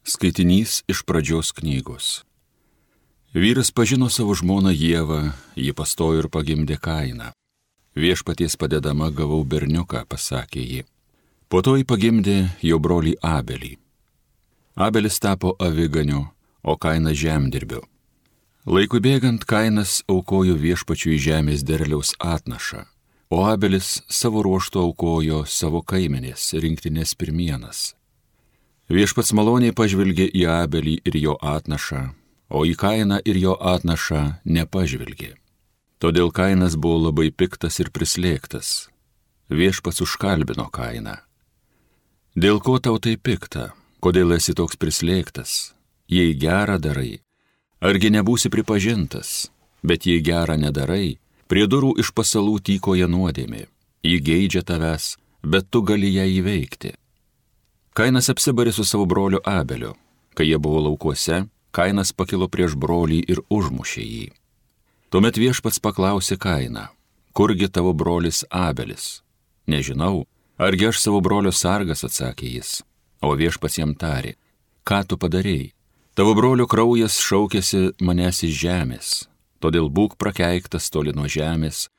Skaitinys iš pradžios knygos. Vyras pažino savo žmoną Ievą, ji pastojo ir pagimdė Kainą. Viešpaties padedama gavau berniuką, pasakė ji. Po to ji pagimdė jo brolį Abelį. Abelis tapo aviganiu, o Kainas žemdirbiu. Laikui bėgant Kainas aukojo viešpačiui žemės derliaus atnašą, o Abelis savo ruožtu aukojo savo kaimenės rinktinės pirmienas. Viešpats maloniai pažvelgė į Abelį ir jo atnašą, o į Kainą ir jo atnašą nepažvelgė. Todėl Kainas buvo labai piktas ir prislėgtas. Viešpats užkalbino Kainą. Dėl ko tau tai pikta? Kodėl esi toks prislėgtas? Jei gerą darai, argi nebūsi pripažintas? Bet jei gerą nedarai, prie durų iš pasalų tykoja nuodėmė. Ji geidžia tavęs, bet tu gali ją įveikti. Kainas apsibarė su savo broliu Abeliu. Kai jie buvo laukuose, Kainas pakilo prieš brolį ir užmušė jį. Tuomet viešpats paklausė Kainą, kurgi tavo brolis Abelis? Nežinau, argi aš savo brolio sargas, atsakė jis. O viešpats jam tarė, ką tu padarei? Tavo brolio kraujas šaukėsi manęs iš žemės, todėl būk prakeiktas toli nuo žemės,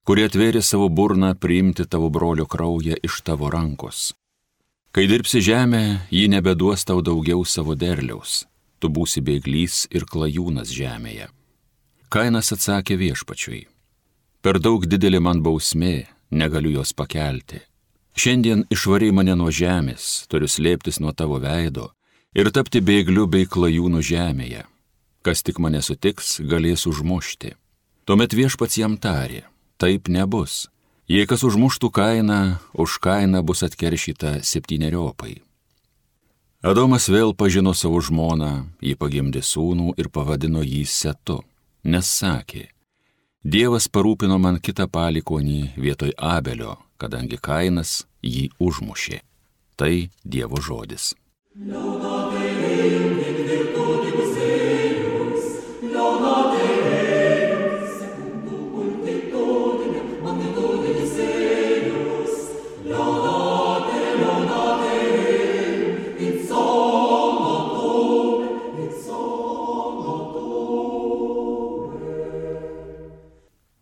kurie atvėrė savo burną priimti tavo brolio kraują iš tavo rankos. Kai dirbsi žemę, ji nebeduos tau daugiau savo derliaus, tu būsi bėglys ir klajūnas žemėje. Kainas atsakė viešpačiui, per daug didelė man bausmė, negaliu jos pakelti. Šiandien išvarei mane nuo žemės, turiu slėptis nuo tavo veido ir tapti bėgliu bei klajūnu žemėje. Kas tik mane sutiks, galės užmušti. Tuomet viešpats jam tarė, taip nebus. Jei kas užmuštų Kainą, už Kainą bus atkeršyta 7-eriopai. Adomas vėl pažino savo žmoną, jį pagimdė sūnų ir pavadino jį Setu, nes sakė, Dievas parūpino man kitą palikuonį vietoj Abelio, kadangi Kainas jį užmušė. Tai Dievo žodis.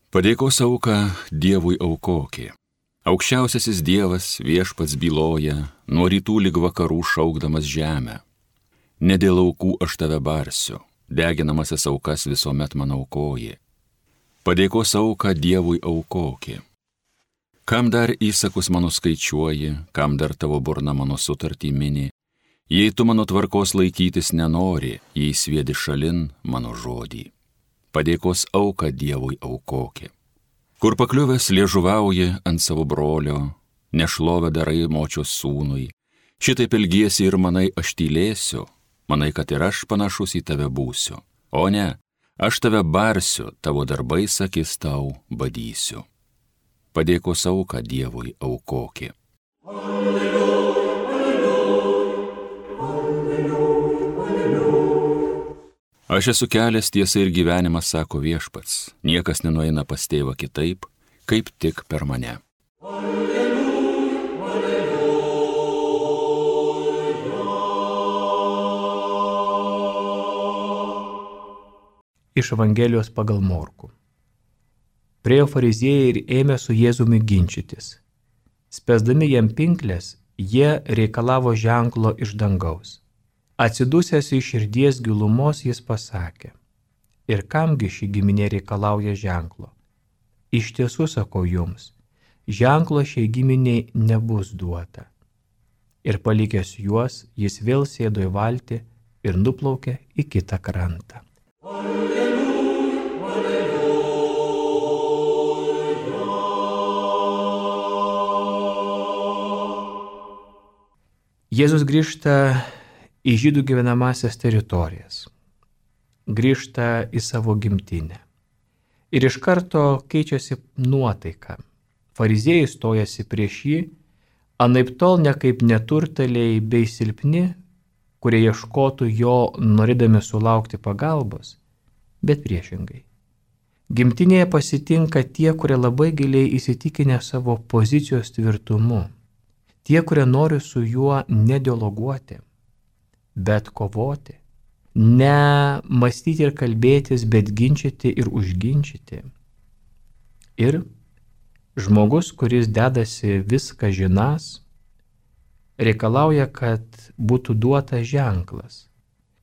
Padėkos auką Dievui aukokė. Aukščiausiasis Dievas viešpats byloja, nuo rytų lig vakarų šaukdamas žemę. Ne dėl aukų aš tave barsiu, deginamasis aukas visuomet man aukoji. Padėkos auką Dievui aukokė. Kam dar įsakus mano skaičiuoji, kam dar tavo burna mano sutartį mini, jei tu mano tvarkos laikytis nenori, jei sviedi šalin mano žodį. Padėkos auką Dievui aukokė. Kur pakliuvęs liežuvauji ant savo brolio, nešlovę darai močios sūnui, šitaip ilgiesi ir manai aš tylėsiu, manai, kad ir aš panašus į tave būsiu. O ne, aš tave barsiu, tavo darbais akis tau badysiu. Padėkos auką Dievui aukokė. Aš esu kelias, tiesa ir gyvenimas, sako viešpats. Niekas nenueina pas tėvą kitaip, kaip tik per mane. Alleluja, alleluja. Iš Evangelijos pagal Morkų. Priėjo fariziejai ir ėmė su Jėzumi ginčytis. Spęsdami jam pinklės, jie reikalavo ženklo iš dangaus. Atsidusęs iš širdies gilumos jis pasakė, ir kamgi ši giminė reikalauja ženklo? Iš tiesų sakau jums, ženklo šiai giminiai nebus duota. Ir palikęs juos, jis vėl sėdo į valtį ir nuplaukė į kitą krantą. Alleluja, alleluja. Jėzus grįžta į žydų gyvenamasias teritorijas, grįžta į savo gimtinę. Ir iš karto keičiasi nuotaika. Fariziejai stojasi prieš jį, anaiptol ne kaip neturtaliai bei silpni, kurie ieškotų jo norėdami sulaukti pagalbos, bet priešingai. Gimtinėje pasitinka tie, kurie labai giliai įsitikinę savo pozicijos tvirtumu, tie, kurie nori su juo nedialoguoti, bet kovoti. Ne mąstyti ir kalbėtis, bet ginčyti ir užginčyti. Ir žmogus, kuris dedasi viską žinas, reikalauja, kad būtų duotas ženklas,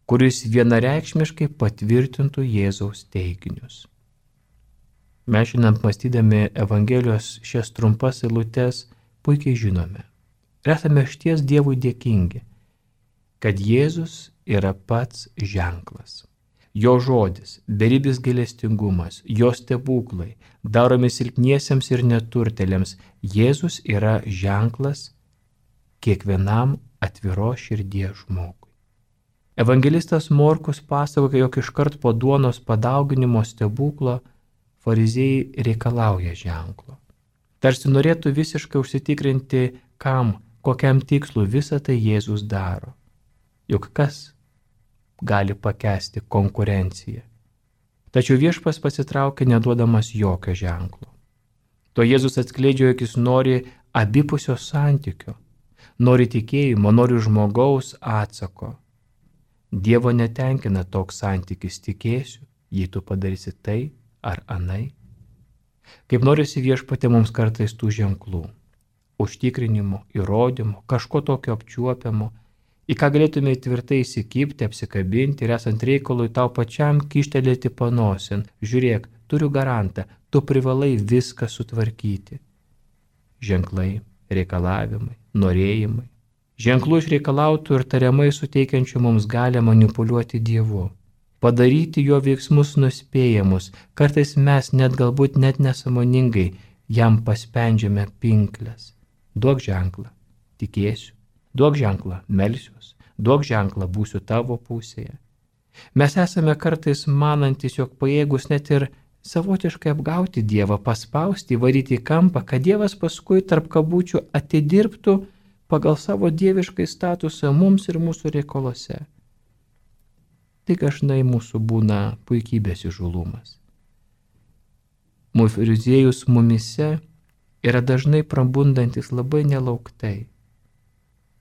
kuris vienareikšmiškai patvirtintų Jėzaus teiginius. Mes šiandien mąstydami Evangelijos šias trumpas eilutes puikiai žinome ir esame išties Dievui dėkingi, kad Jėzus yra pats ženklas. Jo žodis, beribis gailestingumas, jo stebuklai, daromi silpniesiems ir neturtėliams, Jėzus yra ženklas kiekvienam atviros širdies žmogui. Evangelistas Morkus pasakoja, jog iškart po duonos padauginimo stebuklo fariziejai reikalauja ženklo. Tarsi norėtų visiškai užsitikrinti, kokiam tikslu visą tai Jėzus daro. Juk kas gali pakęsti konkurenciją? Tačiau viešpas pasitraukia neduodamas jokio ženklo. To Jėzus atskleidžia, jog jis nori abipusio santykio, nori tikėjimo, nori žmogaus atsako. Dievo netenkina toks santykis, tikėsiu, jei tu padarysi tai ar anai. Kaip norisi Viešpatie mums kartais tų ženklų, užtikrinimo, įrodymo, kažko tokio apčiuopiamo, į ką galėtume tvirtai įsikibti, apsikabinti ir esant reikalui tau pačiam kištelėti panosin. Žiūrėk, turiu garantą, tu privalai viską sutvarkyti. Ženklai, reikalavimai, norėjimai. Ženklų išreikalautų ir tariamai suteikiančių mums galią manipuliuoti Dievu. Padaryti jo veiksmus nuspėjamus, kartais mes galbūt net nesąmoningai jam paspendžiame pinkles. Duok ženklą, tikėsiu, duok ženklą, melsiuos, duok ženklą, būsiu tavo pusėje. Mes esame kartais manantis, jog pajėgus net ir savotiškai apgauti Dievą, paspausti, įvaryti į kampą, kad Dievas paskui tarp kabučių atidirbtų pagal savo dieviškai statusą mums ir mūsų reikalose. Tik dažnai mūsų būna puikybės įžulumas. Fariziejus mumise yra dažnai prabundantis labai nelauktai.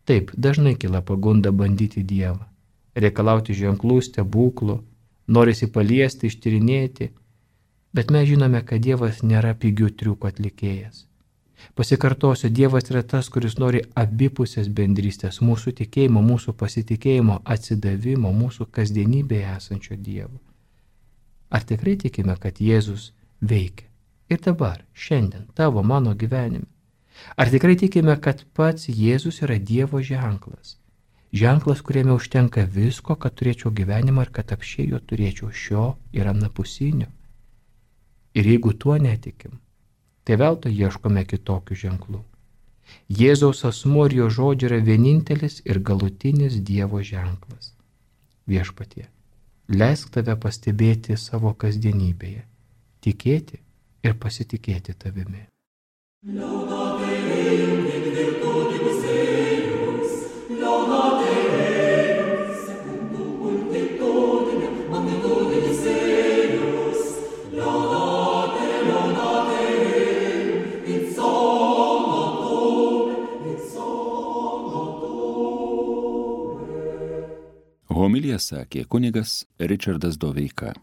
Taip, dažnai kyla pagunda bandyti Dievą, reikalauti ženklų, stebuklų, norisi paliesti, ištyrinėti, bet mes žinome, kad Dievas nėra pigių triukų atlikėjas. Pasikartosiu, Dievas yra tas, kuris nori abipusės bendrystės, mūsų tikėjimo, mūsų pasitikėjimo, atsidavimo, mūsų kasdienybėje esančio Dievo. Ar tikrai tikime, kad Jėzus veikia ir dabar, šiandien, tavo, mano gyvenime? Ar tikrai tikime, kad pats Jėzus yra Dievo ženklas? Ženklas, kuriame užtenka visko, kad turėčiau gyvenimą ir kad apšiai jo turėčiau šio ir anapusinio. Ir jeigu tuo netikim, tai veltui ieškome kitokių ženklų. Jėzaus asmuo ir jo žodžiai yra vienintelis ir galutinis Dievo ženklas. Viešpatie, leisk tave pastebėti savo kasdienybėje, tikėti ir pasitikėti tavimi. Homiliją sakė kunigas Ričardas Doveika.